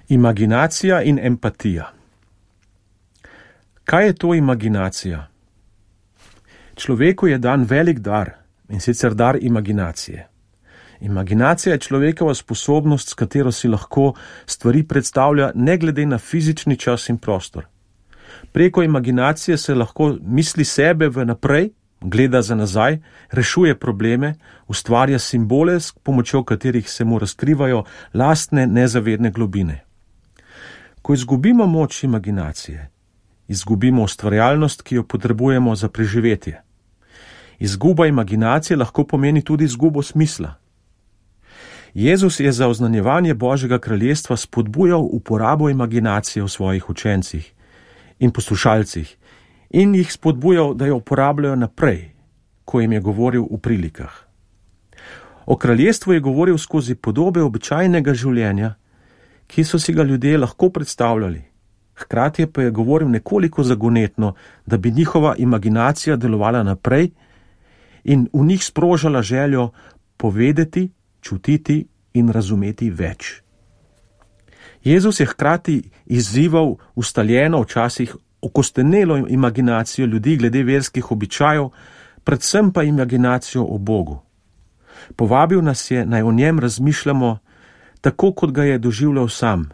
Imaginacija in empatija. Kaj je to imaginacija? Človeku je dan velik dar, in sicer dar imaginacije. Imaginacija je človekova sposobnost, s katero si lahko stvari predstavlja ne glede na fizični čas in prostor. Preko imaginacije se lahko misli sebe v naprej, gleda za nazaj, rešuje probleme, ustvarja simbole, s pomočjo katerih se mu razkrivajo lastne nezavedne globine. Ko izgubimo moč imaginacije, izgubimo ustvarjalnost, ki jo potrebujemo za preživetje. Izguba imaginacije lahko pomeni tudi izgubo smisla. Jezus je za oznanjevanje Božjega kraljestva spodbujal uporabo imaginacije v svojih učencih in poslušalcih in jih spodbujal, da jo uporabljajo naprej, ko jim je govoril v prilikah. O kraljestvu je govoril skozi podobe običajnega življenja, ki so si ga ljudje lahko predstavljali. Hkrati pa je govoril nekoliko zagonetno, da bi njihova imaginacija delovala naprej in v njih sprožala željo povedati, čutiti in razumeti več. Jezus je hkrati izzival ustaljeno, včasih okostenelo imaginacijo ljudi glede verskih običajev, predvsem pa imaginacijo o Bogu. Povabil nas je, naj o njem razmišljamo tako, kot ga je doživljal sam,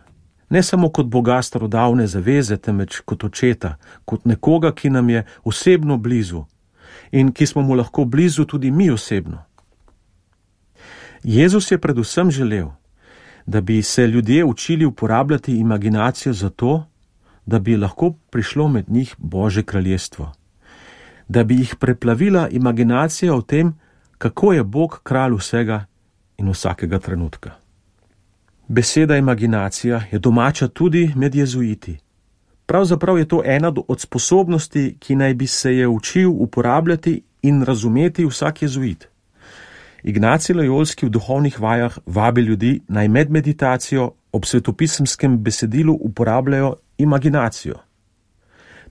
ne samo kot Boga starodavne zaveze, temveč kot očeta, kot nekoga, ki nam je osebno blizu in ki smo mu lahko blizu tudi mi osebno. Jezus je predvsem želel, da bi se ljudje učili uporabljati imaginacijo zato, da bi lahko prišlo med njih Božje kraljestvo. Da bi jih preplavila imaginacija o tem, kako je Bog kralj vsega in vsakega trenutka. Beseda imaginacija je domača tudi med jezuiti. Pravzaprav je to ena od sposobnosti, ki naj bi se je učil uporabljati in razumeti vsak jezuit. Ignacij Lojolski v duhovnih vajah vabi ljudi, naj med meditacijo ob svetopisemskem besedilu uporabljajo imaginacijo.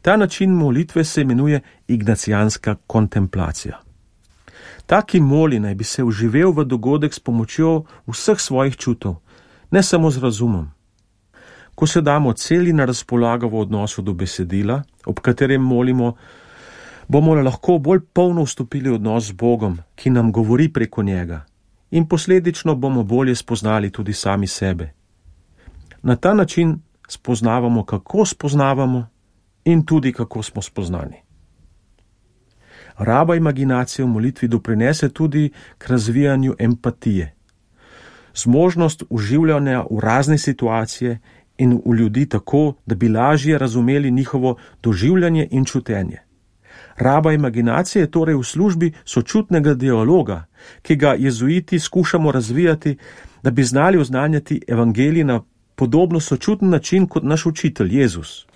Ta način molitve se imenuje ignacijanska kontemplacija. Ta, ki moli, naj bi se vživel v dogodek s pomočjo vseh svojih čutov, ne samo z razumom. Ko se damo celi na razpolago v odnosu do besedila, ob katerem molimo, bomo lahko bolj polno vstopili v odnos z Bogom, ki nam govori preko njega, in posledično bomo bolje spoznali tudi sami sebe. Na ta način spoznavamo, kako spoznavamo in tudi, kako smo spoznani. Raba imaginacije v molitvi doprinese tudi k razvijanju empatije. Zmožnost uživljanja v razne situacije in v ljudi tako, da bi lažje razumeli njihovo doživljanje in čutenje. Raba imaginacije je torej v službi sočutnega dialoga, ki ga jezuiti skušamo razvijati, da bi znali oznanjati evangelij na podobno sočuten način kot naš učitelj Jezus.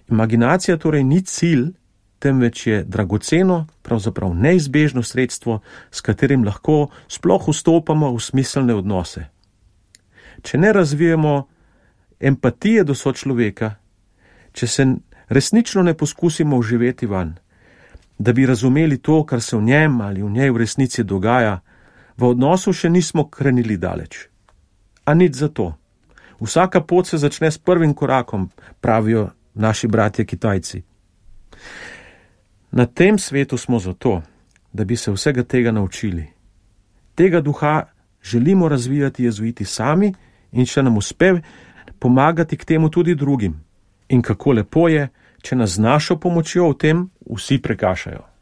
Imaginacija torej ni cilj, temveč je dragoceno, pravzaprav neizbežno sredstvo, s katerim lahko sploh vstopamo v smiselne odnose. Če ne razvijemo empatije do sočloveka, če se resnično ne poskusimo vživeti vanj, da bi razumeli to, kar se v njem ali v njej v resnici dogaja, v odnosu še nismo krenili daleč. A nič za to. Vsaka pot se začne s prvim korakom, pravijo naši bratje Kitajci. Na tem svetu smo zato, da bi se vsega tega naučili. Tega duha želimo razvijati jezuiti sami in če nam uspe pomagati k temu tudi drugim. In kako lepo je, če nas z našo pomočjo v tem vsi prekašajo.